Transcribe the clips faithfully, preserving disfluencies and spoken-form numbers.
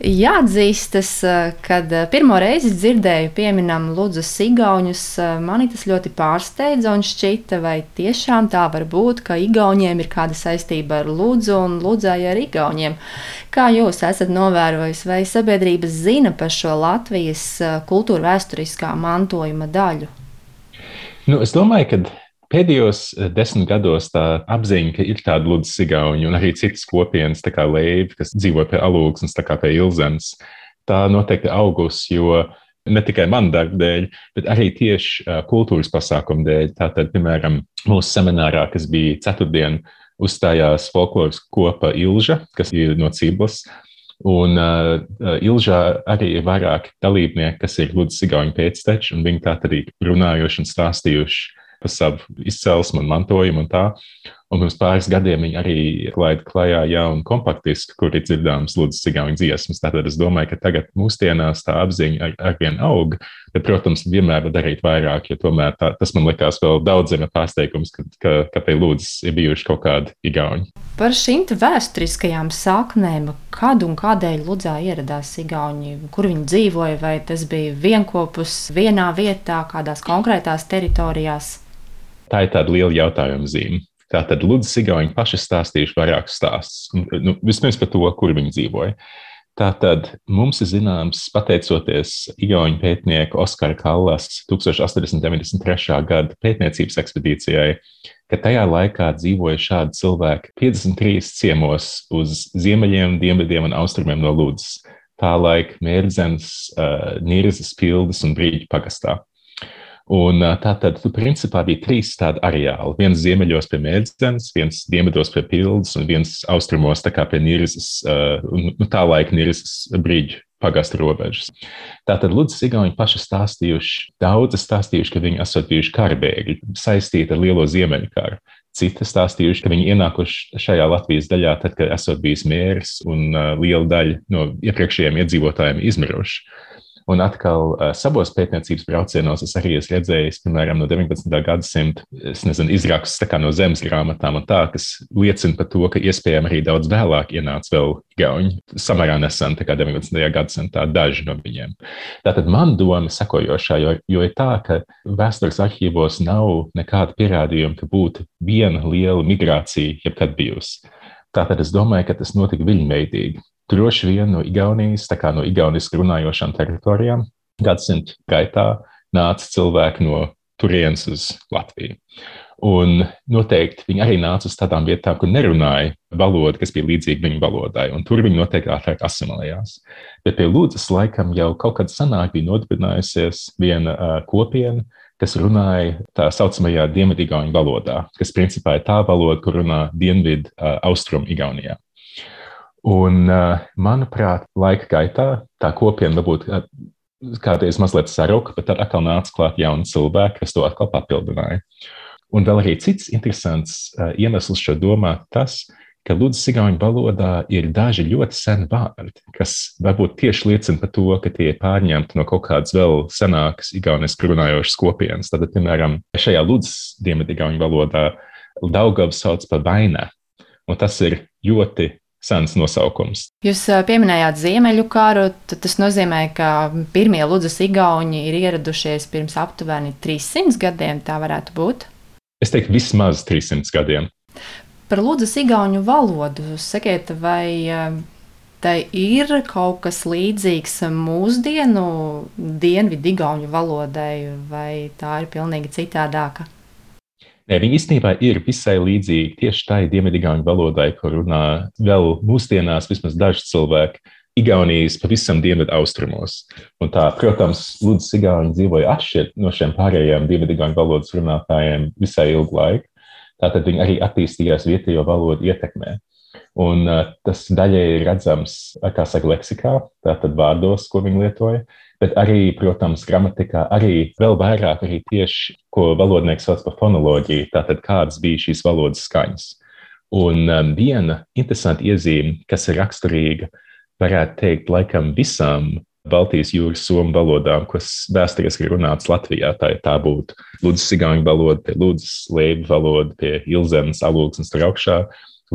Jāatzīstas, kad pirmo reizi dzirdēju pieminam Ludzas igauņus, mani tas ļoti pārsteidza un šķita, vai tiešām tā var būt, ka igauņiem ir kāda saistība ar Ludzu un Ludzai ar igauņiem. Kā jūs esat novērojis, vai sabiedrības zina par šo Latvijas kultūra vēsturiskā mantojuma daļu? Nu, es domāju, ka pēdējos desmit gados tā apziņa, ka ir tāda Ludzas igauņi un arī citas kopienas, tā kā Leiva, kas dzīvo pie Alūksnes, tā kā pie Ilzemes, tā noteikti augus, jo ne tikai man darba dēļ, bet arī tieši kultūras pasākumu dēļ. Tātad, piemēram, mūsu seminārā, kas bija ceturtdien, uzstājās folkloras kopa Ilža, kas ir no Ciblas, un uh, Ilžā arī ir vairāki dalībnieki, kas ir Ludzas igauņu pēcteči, un viņi tātad arī runājuši un stāstījuši par savu izcelsmu un mantojumu un tā. Un pirms pāris gadiem viņi arī laida klajā jaunu kompaktisku, kur ir dzirdāmas Ludzas igauņu dziesmas. Tātad es domāju, ka tagad mūsdienās tā apziņa ar, arvien aug, bet, protams, vienmēr var darīt vairāk, jo tomēr tā, tas man likās vēl daudziem pārsteigums, ka, ka, ka pie Ludzas ir bijuši kaut kādi igauņi. Par šīm vēsturiskajām saknēm, kad un kādēļ Ludzā ieradās igauņi, kur viņi dzīvoja, vai tas bija vienkopus vienā vietā, kādās konkrētās teritorijās? Tā ir tāda liela jautājuma zīme. Tātad Ludzas igauņi paši stāstījuši vairākus stāstus. Nu, vispirms par to, kur viņi dzīvoja. Tātad mums ir zināms, pateicoties igauņu pētnieku Oskara Kallas tūkstoš astoņsimt deviņdesmit trešā gada pētniecības ekspedīcijai, ka tajā laikā dzīvoja šādi cilvēki piecdesmit trīs ciemos uz ziemeļiem, dienvidiem un austrumiem no Ludzas. Tā laika Mērdzenes, Nirzas, Pildes un Brīģu pagastā. Un tātad, principā, bija trīs tādi areāli. Viens ziemeļos pie Mērdzenes, viens dienvidos pie Pildes un viens austrumos tā kā pie Nirzas, un tā laika Nirzas Brīģu pagasta robežas. Tātad Ludzas igauņi paši stāstījuši, daudzi stāstījuši, ka viņi esot bijuši karbēgļi, saistīti ar lielo ziemeļu karu. Citi stāstījuši, ka viņi ienākuši šajā Latvijas daļā tad, kad esot bijis mērs un liela daļa no iepriekšējiem iedzīvotājiem izmiruši. Un atkal savos pētniecības braucienos es arī esmu redzējis, piemēram, no deviņpadsmitā gadsimta, es nezinu, izrakstus tā kā no zemes grāmatām un tā, kas liecina par to, ka iespējami arī daudz vēlāk ienāca vēl igauņi, samērā nesen, tā kā deviņpadsmitajā gadsimtā daži no viņiem. Tātad man doma sekojošā, jo, jo ir tā, ka vēstures arhīvos nav nekāda pierādījuma, ka būtu viena liela migrācija jebkad bijusi. Tātad es domāju, ka tas notika viļņveidīgi. Droši vien no Igaunijas, tā kā no igaunisku runājošām teritorijām, gadsimtu gaitā nāca cilvēki no turienes uz Latviju. Un noteikti viņi arī nāca uz tādām vietām, kur nerunāja valodu, kas bija līdzīga viņu valodai, un tur viņi noteikti ātrāk asimilējās. Bet pie Ludzas laikam jau kaut kad senāk bija nodibinājusies viena uh, kopiena, kas runāja tā saucamajā dienvidigauņu valodā, kas principā ir tā valoda, kur runā dienvidu uh, austrumu Igaunijā. Un, manuprāt, laika gaitā tā kopiena varbūt kādreiz mazliet saruka, bet tad atkal nāca klāt jauni cilvēki, kas to atkal papildināja. Un vēl arī cits interesants iemesls šo domāt tas, ka Ludzas igauņu valodā ir daži ļoti seni vārdi, kas varbūt tieši liecina par to, ka tie ir pārņemti no kaut kādas vēl senākas igaunisku runājošas kopienas. Tad, piemēram, šajā Ludzas dienvidigauņu valodā Daugavu sauc par Vainē, un tas ir ļoti sens nosaukums. Jūs pieminējāt Ziemeļu karu, tad tas nozīmē, ka pirmie Ludzas igauņi ir ieradušies pirms aptuveni trīssimts gadiem, tā varētu būt? Es teiktu, vismaz trīssimts gadiem. Par Ludzas igauņu valodu, sakiet, vai tai ir kaut kas līdzīgs mūsdienu dienvidu igauņu valodai, vai tā ir pilnīgi citādāka? Nē, viņi īstenībā ir visai līdzīgi tieši tai dienvidigauņu valodai, ko runā vēl mūsdienās vismaz daži cilvēki Igaunijas pavisam dienvidu austrumos. Un tā, protams, Ludzas igauņi dzīvoja atšķirt no šiem pārējiem dienvidigauņu valodas runātājiem visai ilgu laiku. Tātad viņi arī attīstījās vietējo valodu ietekmē. Un uh, tas daļai ir redzams, kā saka, leksikā, tātad vārdos, ko viņi lietoja, bet arī, protams, gramatikā, arī vēl vairāk arī tieši, ko valodnieks sauc par fonoloģiju, tātad kādas bija šīs valodas skaņas. Un um, viena interesanta iezīme, kas ir raksturīga, varētu teikt, laikam visām Baltijas jūras somu valodām, kas vēsturiski ir runāts Latvijā, tā, tā būtu Ludzas igauņu valoda, pie Ludzas, Leivu valoda, pie Ilzemes, Alūksnes tur augšā,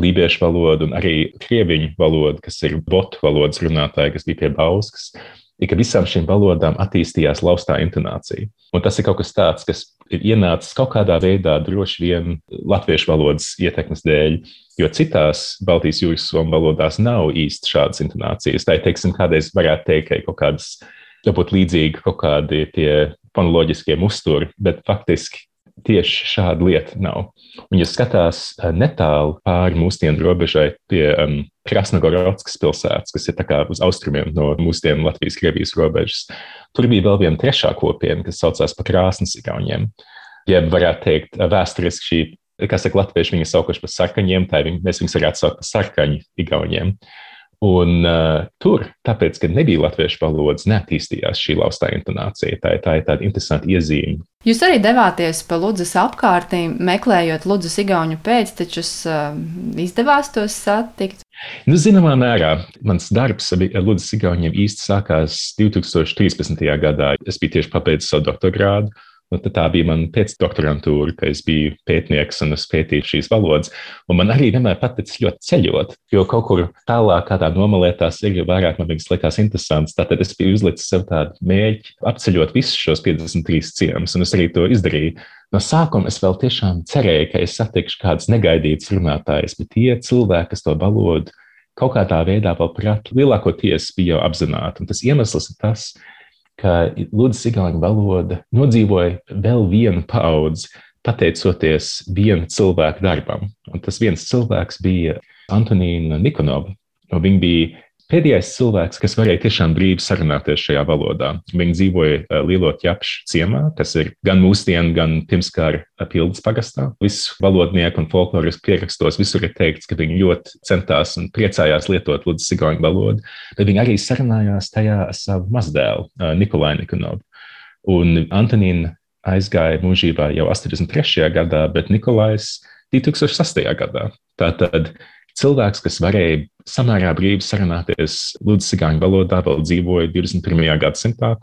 lībiešu valodu un arī krieviņu valodu, kas ir botu valodas runātāji, kas bija pie Bauskas. Ir, ka visām šīm valodām attīstījās laustā intonācija. Un tas ir kaut kas tāds, kas ir ienācis kaut kādā veidā droši vien latviešu valodas ietekmes dēļ, jo citās Baltijas jūras somu valodās nav īsti šādas intonācijas. Tā ir, teiksim, kādreiz varētu teikt, ka ir kaut kādas, varbūt līdzīgi kaut kādi tie fonoloģiskie musturi, bet faktiski tieši šāda lieta nav. Un, ja skatās netālu pāri mūsdienu robežai pie um, Krasnogorodskas pilsētas, kas ir tā kā uz austrumiem no mūsdienu Latvijas-Krievijas robežas, tur bija vēl viena trešā kopiena, kas saucās par krāsnes igauņiem. Ja varētu teikt, vēsturiski šī, kā saka latvieši, viņi saukuši par sarkaņiem, tā viņi, mēs viņus varētu saukt par sarkaņu igauņiem. Un uh, tur, tāpēc, ka nebija latviešu valodas, neattīstījās šī laustā intonācija. Tā ir, tā ir tāda interesanta iezīme. Jūs arī devāties pa Ludzas apkārtīm, meklējot Ludzas igauņu pēctečus, uh, izdevās tos satikt? Nu, zināmā mērā, mans darbs ar Ludzas igauņiem īsti sākās divi tūkstoši trīspadsmitajā gadā. Es biju tieši pabeidzis savu doktorgrādu. Un tā bija mana pēcdoktorantūra, ka es biju pētnieks un es pētīju šīs valodas. Un man arī vienmēr paticis ļoti ceļot, jo kaut kur tālāk kādā nomalē tās ir, jo vairāk man viņas likās interesants. Tātad es biju uzlicis sev tādu mērķi apceļot visus šos piecdesmit trīs ciemus, un es arī to izdarīju. No sākuma es vēl tiešām cerēju, ka es satikšu kādas negaidītas runātājas, bet tie cilvēki, kas to valodu kaut kādā veidā vēl prāt, lielākoties bija jau apzināti. Un tas iemesls ir tas, ka Ludzas igauņu valoda nodzīvoja vēl vienu paudzi, pateicoties viena cilvēka darbam. Un tas viens cilvēks bija Antonīna Nikonova. Viņa bija pēdējais cilvēks, kas varēja tiešām brīvi sarunāties šajā valodā. Viņa dzīvoja Lielo Ķepšu ciemā, kas ir gan mūsdienu, gan pirmskara Pildes pagastā. Visu valodnieku un folklorisku pierakstos visur ir teikts, ka viņi ļoti centās un priecājās lietot Ludzas igauņu valodu, bet viņi arī sarunājās tajā ar savu mazdēlu, Nikolai Nikonovu. Un Antonīna aizgāja mūžībā jau astoņdesmit trešajā gadā, bet Nikolais divi tūkstoši sastajā gadā. Tātad cilvēks, kas varēja samērā brīvi sarunāties Ludzas igauņu valodā, vēl dzīvoja divdesmit pirmajā gadsimtā.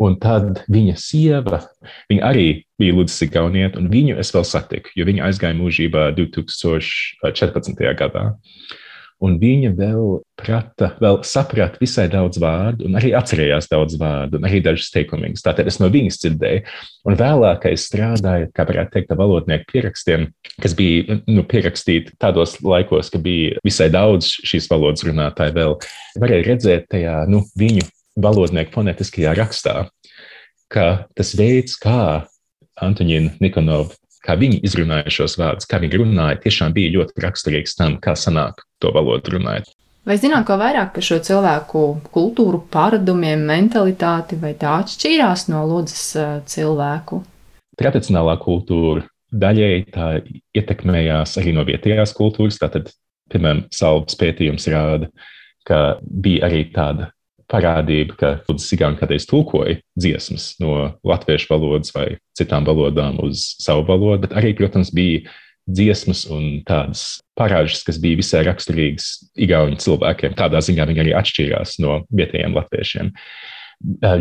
Un tad viņa sieva, viņa arī bija Ludzas igaunieta, un viņu es vēl satiku, jo viņa aizgāja mūžībā divi tūkstoši četrpadsmitajā gadā. Un viņa vēl prata, vēl saprata visai daudz vārdu, un arī atcerējās daudz vārdu, un arī dažas teikumiņas. Tātad es no viņas dzirdēju. Un vēlāk, kad es strādāju, kā varētu teikt, ar valodnieku pierakstiem, kas bija nu, pierakstīti tādos laikos, ka bija visai daudz šīs valodas runātāji vēl, varēja redzēt tajā nu, viņu valodnieku fonētiskajā rakstā, ka tas veids, kā Antonīna Nikonova, kā viņi izrunāja šos vārdus, kā viņi runāja, tiešām bija ļoti raksturīgs tam, kā sanāk to valodu runājot. Vai zināt, ko vairāk par šo cilvēku kultūru, paradumiem, mentalitāti, vai tā atšķīrās no Ludzas cilvēku? Tradicionālā kultūra daļēji tā ietekmējās arī no vietējās kultūras. Tātad, piemēram, Salvas pētījums rāda, ka bija arī tāda parādība, ka Ludzas igauņi kādreiz tulkoja dziesmas no latviešu valodas vai citām valodām uz savu valodu, bet arī, protams, bija dziesmas un tādas parāžas, kas bija visai raksturīgas igauņu cilvēkiem. Tādā ziņā viņi arī atšķīrās no vietējiem latviešiem.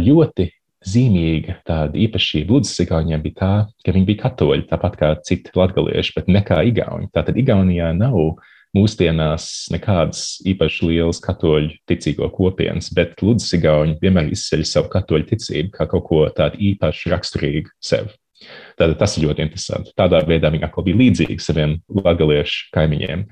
Ļoti zīmīga tāda īpašība Ludzas igauņiem bija tā, ka viņi bija katoļi, tāpat kā citi latgalieši, bet ne kā igauņi. Tātad Igaunijā nav mūsdienās nekādas īpaši lielas katoļu ticīgo kopienas, bet Ludzas igauņi vienmēr izceļ savu katoļu ticību kā kaut ko tādu īpaši raksturīgu sev. Tātad tas ir ļoti interesanti. Tādā veidā viņi atkal bija līdzīgi saviem latgaliešu kaimiņiem.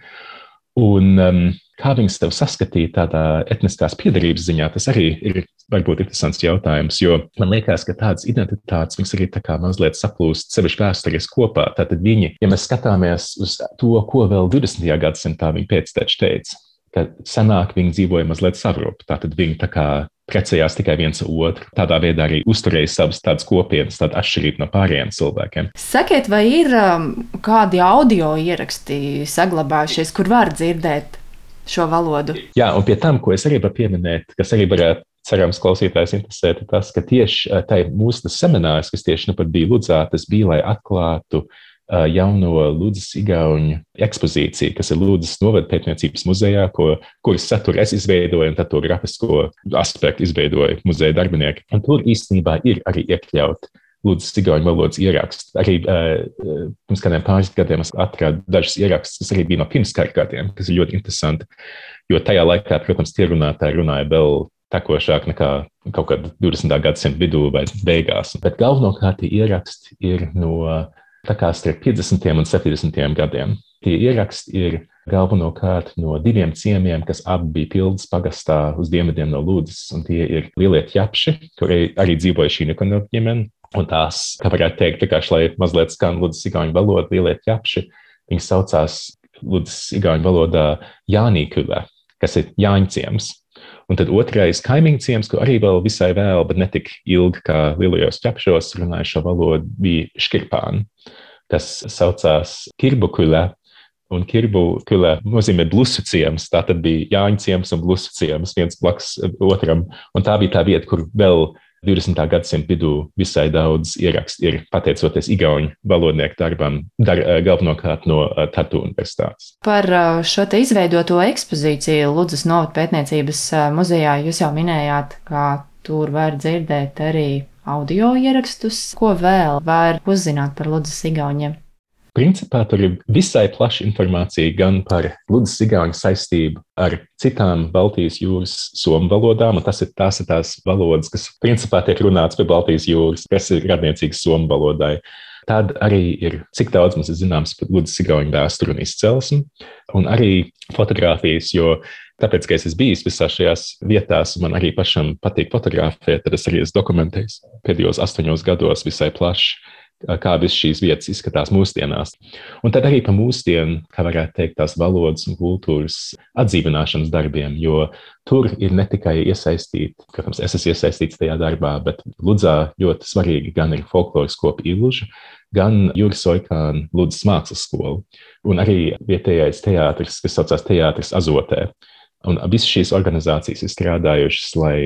Un um, kā viņus tev saskatīt tādā etniskās piedarības ziņā, tas arī ir varbūt interesants jautājums, jo man liekas, ka tādas identitātes viņas arī tā kā mazliet saplūst sevišķi vēsturiski kopā. Tātad viņi, ja mēs skatāmies uz to, ko vēl divdesmitajā gadsimtā viņi pēcteči teica, ka senāk viņi dzīvoja mazliet savrup, tātad viņi tā kā precējās tikai viens otru. Tādā veidā arī uzturēja savas tādas kopienas, tāda atšķirība no pārējiem cilvēkiem. Sakiet, vai ir um, kādi audio ieraksti saglabājušies, kur var dzirdēt šo valodu? Jā, un pie tam, ko es arī varu pieminēt, kas arī varētu cerams klausītājs interesēt, ir tas, ka tieši tai mūsu seminārs, kas tieši nu pat bija Ludzā, tas bija, lai atklātu jauno Ludzas igauņu ekspozīciju, kas ir Ludzas novada pētniecības muzejā, ko, kuras saturu es izveidoju, un tad to grafisko aspektu izveidoju muzeja darbinieki. Un tur īstenībā ir arī iekļaut Lūdzas igauņu valodas ierakstu. Arī uh, pirms kādiem pāris gadiem es atradu dažus ierakstus, kas arī bija no pirmskara gadiem, kas ir ļoti interesanti, jo tajā laikā, protams, tie runātāji runāja vēl tekošāk nekā kaut kad divdesmitā gadsimta vidū vai beigās. Bet galvenokārt tie ieraksti ir no tā kā starp piecdesmitiem un septiņdesmitiem gadiem. Tie ieraksti ir galvenokārt no diviem ciemiem, kas abi bija Pildas pagastā uz dienvidiem no Ludzas, un tie ir lielie ķepši, kur arī dzīvoja šī Nikonova ģimene, un tās, kā varētu teikt, vienkārši, lai mazliet skan Ludzas igauņu valoda, lielie ķepši, viņi saucās Ludzas igauņu valodā Jānīkule, kas ir Jāņciems. Un tad otrais kaimiņu ciems, ko arī vēl visai vēl, bet ne tik ilgi kā lielajos ķepšos runāja šo valodu, bija Škirpāni, kas saucās Kirbukule. Un Kirbukule nozīmē blusu ciems, tā tad bija Jāņu ciems un blusu ciems viens blakus otram. Un tā bija tā vieta, kur vēl divdesmitā gadsimta vidū visai daudz ierakstu ir pateicoties igauņu valodnieku darbam, dar, galvenokārt no Tartu universitātes. Par šo te izveidoto ekspozīciju Ludzas novada pētniecības muzejā jūs jau minējāt, ka tur var dzirdēt arī audio ierakstus. Ko vēl var uzzināt par Ludzas igauņiem? Principā tur ir visai plaša informācija gan par Ludzas igauņu saistību ar citām Baltijas jūras somu valodām, un tas ir tās, ir tās valodas, kas principā tiek runāts pie Baltijas jūras, kas ir radniecīgas somu valodai. Tad arī ir, cik daudz mums ir zināms par Ludzas igauņu vēsturi un izcelsmi, un arī fotogrāfijas, jo tāpēc, ka es esmu bijis visās šajās vietās, man arī pašam patīk fotografēt, tad es arī esmu dokumentējis pēdējos astoņos gados visai plaši, kā viss šīs vietas izskatās mūsdienās. Un tad arī pa mūsdienu, kā varētu teikt, tās valodas un kultūras atdzīvināšanas darbiem, jo tur ir ne tikai iesaistīti, protams, es esmu iesaistīts tajā darbā, bet Ludzā ļoti svarīgi gan ir folkloras kopa Ilūža, gan Juris Oikāna Ludzas mākslas skola, un arī vietējais teātris, kas saucās Teātris Azotē. Un visas šīs organizācijas ir strādājušas, lai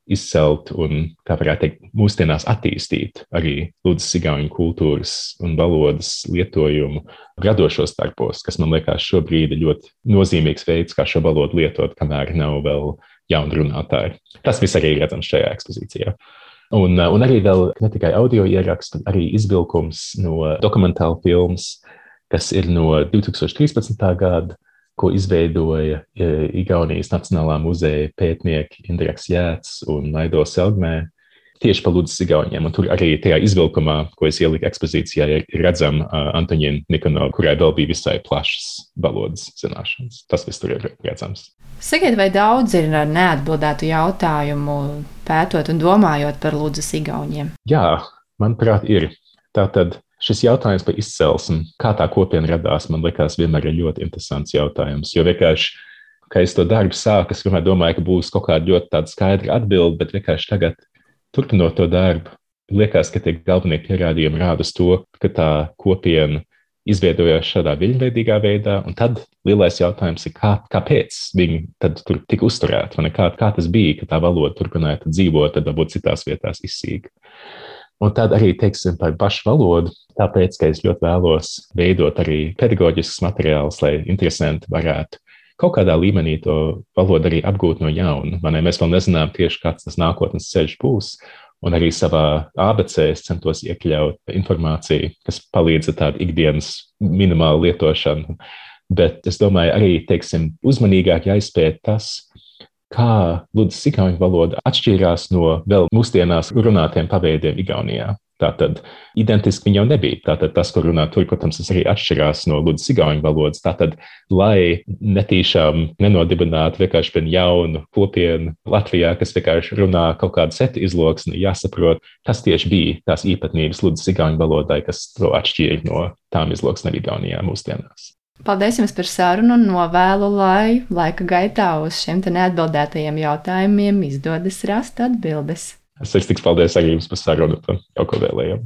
izcelt un, kā varētu teikt, mūsdienās attīstīt arī Ludzas igauņu kultūras un valodas lietojumu radošos darbos, kas man liekas šobrīd ir ļoti nozīmīgs veids, kā šo valodu lietot, kamēr nav vēl jauni runātāji. Tas viss arī ir redzams šajā ekspozīcijā. Un, un arī vēl ne tikai audio ieraksts, bet arī izvilkums no dokumentāla filmas, kas ir no divi tūkstoši trīspadsmitā gada, ko izveidoja Igaunijas Nacionālā muzeja pētnieki Indreks Jēts un Laido Selgmē tieši par Ludzas igauņiem. Un tur arī tajā izvilkumā, ko es ieliku ekspozīcijā, ir redzama uh, Antoņina Nikonova, kurai vēl bija visai plašas valodas zināšanas. Tas viss tur ir redzams. Sakiet, vai daudz ir neatbildētu jautājumu pētot un domājot par Ludzas igauņiem? Jā, manuprāt, ir. Tātad šis jautājums par izcelsmi, kā tā kopiena radās, man liekas, vienmēr ir ļoti interesants jautājums. Jo vienkārši, kad es to darbu sāku, es vienmēr domāju, ka būs kaut kāda ļoti tāda skaidra atbilde, bet vienkārši tagad, turpinot to darbu, liekas, ka tie galvenie pierādījumi rāda uz to, ka tā kopiena izveidojās šādā viļņveidīgā veidā, un tad lielais jautājums ir, kā, kāpēc viņi tad tur tika uzturēti, vai ne? Kā, kā tas bija, ka tā valoda turpināja dzīvot, tad varbūt citās vietās izsīga. Un tad arī, teiksim, par pašu valodu, tāpēc, ka es ļoti vēlos veidot arī pedagoģiskus materiālus, lai interesanti varētu kaut kādā līmenī to valodu arī apgūt no jauna. Man, mēs vēl nezinām tieši, kāds tas nākotnes ceļš būs, un arī savā A B C es centos iekļaut informāciju, kas palīdz ar tādu ikdienas minimālu lietošanu. Bet es domāju, arī, teiksim, uzmanīgāk jāizpēt tas, kā Ludzas igauņu valoda atšķīrās no vēl mūsdienās runātiem paveidiem Igaunijā. Tātad identiski viņi jau nebija. Tātad tas, ko runā tur, protams, tas arī atšķirās no Ludzas igauņu valodas. Tātad, lai netīšām nenodibinātu vienkārši vienu jaunu kopienu Latvijā, kas vienkārši runā kaut kādu setu izloksni, jāsaprot, kas tieši bija tās īpatnības Ludzas igauņu valodai, kas to atšķīra no tām izloksnēm Igaunijā mūsdienās. Paldies jums par sarunu un novēlu, lai laika gaitā uz šiem te neatbildētajiem jautājumiem izdodas rast atbildes. Es sirsnīgs paldies arī jums par sarunu un kaut ko vēlējām.